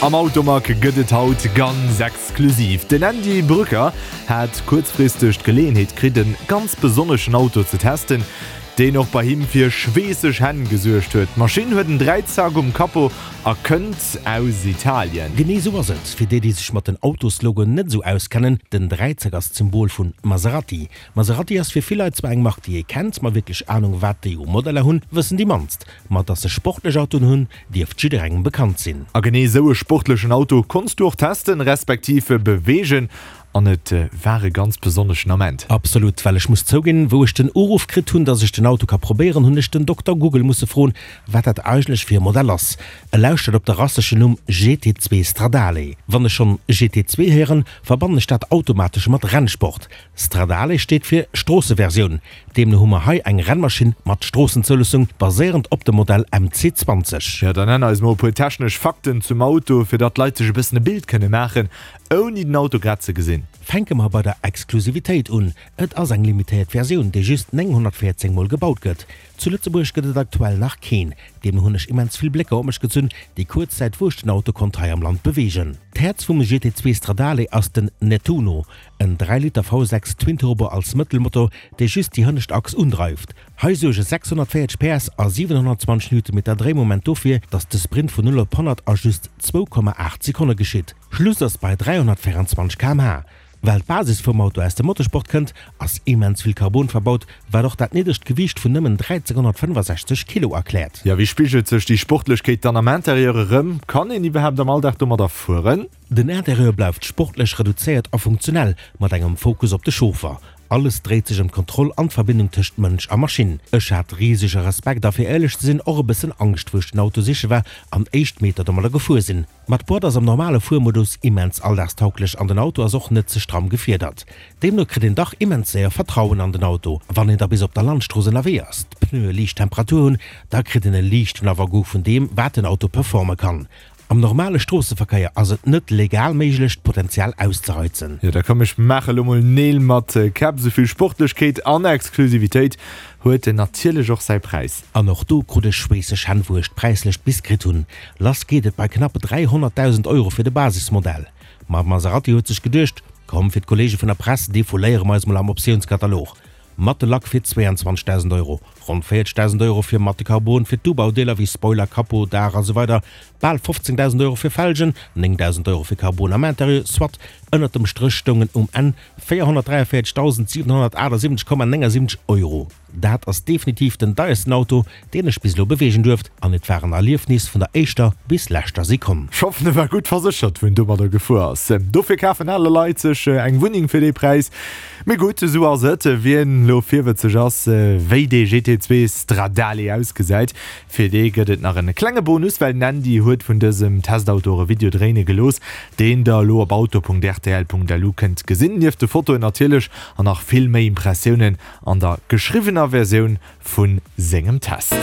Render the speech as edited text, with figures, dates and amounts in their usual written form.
Am Automag gëtt et haut ganz exklusiv. Den Andy Brücker hat kuerzfristeg d'Geleeënheet kritt en ganz besonneschen Auto ze testen, deen och bei him fir schweesseg Hänn gesuergt huet. D'Maschinn huet en Dräizack um Capot a kënnt aus Italien. Genee sou ass et. Fir déi, déi sech mat den Autoslogoen net esou auskennen, den Dräizack ass d'Symbol vun Maserati. Maserati ass fir vill Leit zwar eng Mark déi ee kennt, ma wierklech Anung wat déi u Modeller hunn, wëssen déi mannst. Ma dass se sportlech Autoen hunn, dierft jidderengem bekannt sinn. A genee esou e sportlechen Auto konns du och testen, respektiv beweegen an et war e ganz besonneschen Ament. Absolut, well ech muss zouginn, wou ech den Uruff kritt hunn, dass ech den Auto ka probéieren, hunn ech den Dokter Google musse froen, wat dat eigentlech fir e Modell ass. E lauschtert op de rasseschen Numm GT2 Stradale. Wann ech schonn GT2 héieren, verbannen ech dat automatesch mat Rennsport. Stradale steet fir Stroosseversioun, deemno hu mer hei eng Rennmaschinn mat Stroossenzouloossung, baséierend op dem Modell MC 20. Jo, dann nenn eis mol e puer technesch Fakten zum Auto, fir datt d'Leit sech e bëssen e Bild kënne maachen, ouni den Auto grad ze gesinn. Fänke mer bei der Exklusivitéit un, Et ass eng limitéiert Versioun, déi just 914 mol gebaut gëtt. Zu Lëtzebuerg gëtt et aktuell nach keen. Deemno hunn ech immens vill Blécker op mech gezunn, déi kuerz Zäit wou ech den Auto konnt hei am Land beweegen. D'Häerz vum GT2 Stradale ass den Nettuno, en 3 Liter V6 Twin-Turbo als Mëttelmotor, dee just déi hënnescht Achs undreift. Hei suerge 640 PS a 720 Newtonmeter Dréimoment dofir, datt de Sprint vun 0 op 100 a just 2,8 Sekonne geschitt. Schluss ass bei 324 km/h. Well d'Basis vum Auto aus dem Motorsport kënnt, ass immens vill Carbon verbaut, wat och dat niddregt Gewiicht vun nëmmen 1365 Kilo erkläert. Jo, wéi spigelt sech déi Sportlechkeet dann am Interieur erëm? Kann een iwwerhaapt am Alldag domadder fueren? Den Interieur bleift sportlech reduzéiert a funktionell, mat engem Fokus op de Chauffer. Alles dréit sech ëm d'Kontroll an d'Verbindung tëscht Mënsch a Maschinn. Ech hat risege Respekt a fir éierlech ze sinn och e bëssen Angscht, wou ech den Auto siche war an éischt Meter domadder gefuer sinn. Ma d'Boîte ass am normale Fuermodus immens alldagstauglech an den Auto ass och net ze stramm gefiedert. Deemno kritt een dach immens séier Vertrauen an den Auto. Wann een da bis op der Landstrooss ënnerwee ass, d'Pneue liicht Temperatur hunn, da kritt een e liichten Avant-goût vun deem, wat den Auto performe kann. Am normale Stroosseverkéier ass et net legal méiglech, d'Potenzial auszereizen. Jo, da komm ech maache lo mol Neel mat Käpp. Souvill Sportlechkeet an Exklusivitéit huet natierlech och säi Präis. An och do krut ech schweesseg Hänn wou ech d'Präislëscht bis kritt hunn. Lass geet et bei knapp 300.000 Euro fir de Basismodell. Ma Maserati huet sech geduecht, komm fir d'Kollege vun der Press defouléiere mer eis mol am Optiounskatalog. Matte Lack fir 22.000 Euro, ronn 40.000 Euro fir matte Carbon fir d'Ubaudeeler wéi Spoiler, Capot, Daach a sou weider, bal 15.000 Euro fir Felgen, 9.000 Euro fir Carbon am Interieur, soit ënnert dem Stréch stoungen um Enn 443.778,79 Euro. Dat ass definitiv den deiersten Auto, deen ech bis elo beweegen duerft, an et war en Erliefnis vun der éischter bis leschter Sekonn. Ech hoffen e war gutt verséchert wou en domadder gefuer ass. Dofir kafen ale Leit sech eng Wunneng fir dee Präis. Mee gutt, esou ass et. Wien elo virwëtzeg ass wéi dee GT2 Stradale ausgesäit, fir dee gëtt et nach en klenge Bonus, well den Andy huet vun dësem Testauto och e Video dréine gelooss, deen der elo op auto.rtl.lu kënnt gesinn. Nieft de Fotoen natierlech an nach vill méi Impressiounen an der geschriwwener Versioun vu sengem Test.